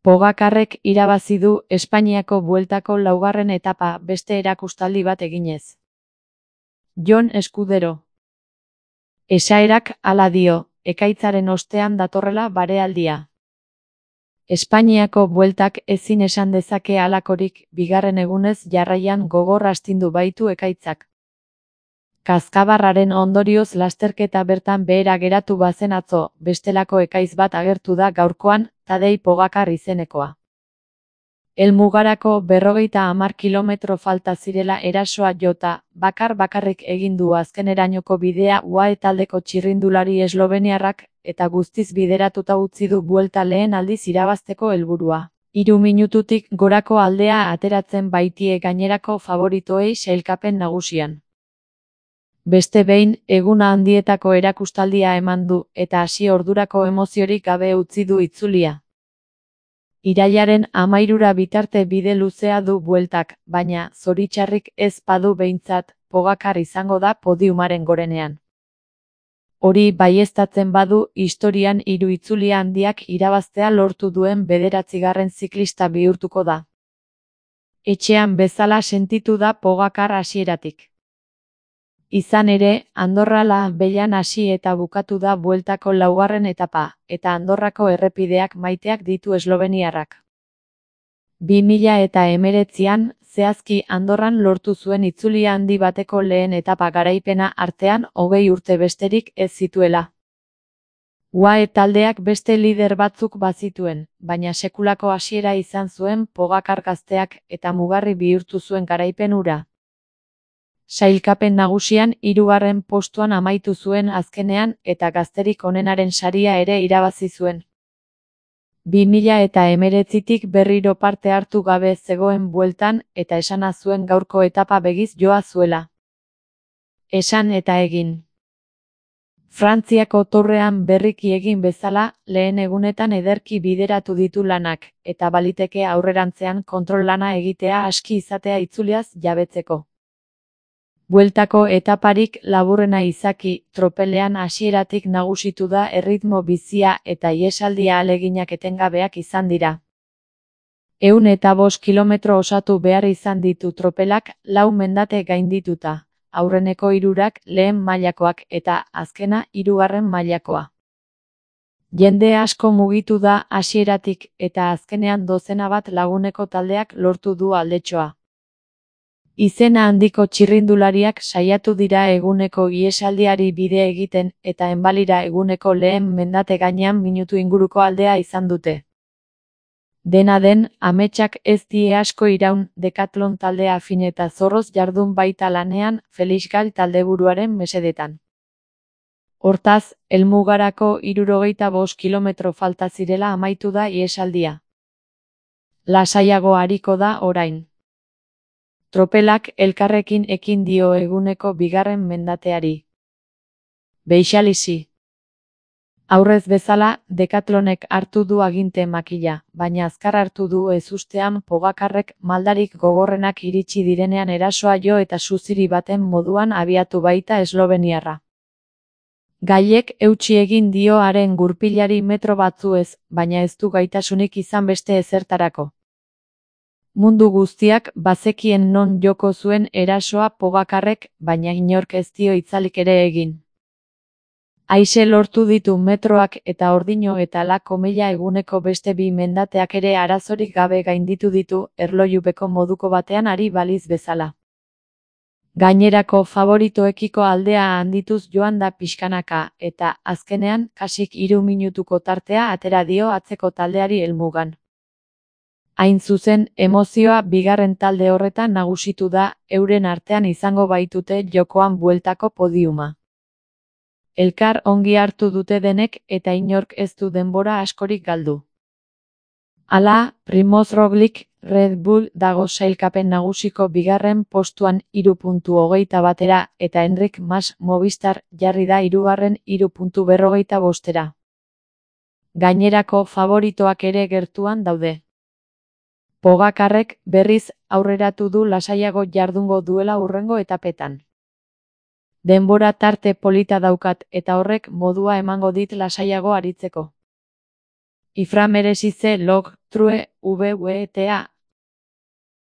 Pogacarrek irabazi du Espainiako Bueltako laugarren etapa beste erakustaldi bat eginez. Jon Escudero. Esaerak hala dio, ekaitzaren ostean datorrela barealdia. Espainiako Bueltak ezin esan dezake halakorik, bigarren egunez jarraian gogor astindu baitu ekaitzak. Kazkabarraren ondorioz lasterketa bertan behera geratu bazen atzo, bestelako ekaitz bat agertu da gaurkoan, Tadej Pogacar izenekoa. Helmugarako 50 kilometro falta zirela erasoa jota, bakarrik egin du azkenerainoko bidea UAE taldeko txirrindulari esloveniarrak, eta guztiz bideratuta utzi du Buelta lehen aldiz irabazteko helburua. 3 minututik gorako aldea ateratzen baitie gainerako favoritoei sailkapen nagusian. Beste behin, eguna handietako erakustaldia eman du, eta hasi ordurako emoziorik gabe utzi du itzulia. Irailaren 13 bitarte bide luzea du Bueltak, baina, zoritxarrik ez badu behintzat, Pogacar izango da podiumaren gorenean. Hori baieztatzen badu, historian 3 itzulia handiak irabaztea lortu duen 9. ziklista bihurtuko da. Etxean bezala sentitu da Pogacar hasieratik. Izan ere, Andorra La Vellan hasi eta bukatu da Bueltako laugarren etapa, eta Andorrako errepideak maiteak ditu esloveniarrak. 2019an, zehazki Andorran lortu zuen itzulia handi bateko lehen etapa garaipena artean 20 urte besterik ez zituela. UAE taldeak beste lider batzuk bazituen, baina sekulako hasiera izan zuen Pogacar gazteak eta mugarri bihurtu zuen garaipen hura. Sailkapen nagusian 3. postuan amaitu zuen azkenean eta gazterik onenaren saria ere irabazi zuen. 2019tik berriro parte hartu gabe zegoen Bueltan eta esana zuen gaurko etapa begiz joa zuela. Esan eta egin. Frantziako Tourrean berriki egin bezala, lehen egunetan ederki bideratu ditu lanak, eta baliteke aurrerantzean kontrol lana egitea aski izatea itzuliaz jabetzeko. Bueltako etaparik laburrena izaki, tropelean hasieratik nagusitu da erritmo bizia eta ihesaldia ahaleginak etengabeak izan dira. 105 kilometro osatu behar izan ditu tropelak, 4 mendate gaindituta, aurreneko 3 lehen mailakoak eta azkena 3. mailakoa. Jende asko mugitu da hasieratik eta azkenean dozena bat laguneko taldeak lortu du aldetxoa. Izena handiko txirrindulariak saiatu dira eguneko ihesaldiari bide egiten eta enbalira eguneko lehen mendate gainean minutu inguruko aldea izan dute. Dena den, ametsak ez die asko iraun, Decathlon taldea fin eta zorroz jardun baita lanean, Felix Gal taldeburuaren mesedetan. Hortaz, helmugarako 65 kilometro falta zirela amaitu da ihesaldia. Lasaiago ariko da orain. Tropelak elkarrekin ekin dio eguneko 2. mendateari. Beixalizi. Aurrez bezala, Decathlonek hartu du aginte makila, baina azkar hartu du ezustean Pogacarrek maldarik gogorrenak iritsi direnean erasoa jo eta suziri baten moduan abiatu baita esloveniarra. Gaiek eutsi egin dio haren gurpilari metro batzuez, baina ez du gaitasunik izan beste ezertarako. Mundu guztiak bazekien non joko zuen erasoa Pogacarrek, baina inork ez dio itzalik ere egin. Aise lortu ditu metroak eta ordino eta la komila eguneko beste 2 mendateak ere arazorik gabe gainditu ditu, erlojupeko moduko batean ari baliz bezala. Gainerako favoritoekiko aldea handituz joan da pixkanaka, eta azkenean kasik 3 minutuko tartea atera dio atzeko taldeari helmugan. Hain zuzen, emozioa bigarren talde horretan nagusitu da, euren artean izango baitute jokoan Bueltako podiuma. Elkar ongi hartu dute denek eta inork ez du denbora askorik galdu. Hala, Primoz Roglic, Red Bull dago sailkapen nagusiko 2. postuan 3.21 eta Enric Mas Movistar jarri da 3. 3.45. Gainerako favoritoak ere gertuan daude. Pogacarrek berriz aurreratu du lasaiago jardungo duela hurrengo etapetan. Denbora tarte polita daukat eta horrek modua emango dit lasaiago aritzeko. Ifra merezi ze log, true, VWTA,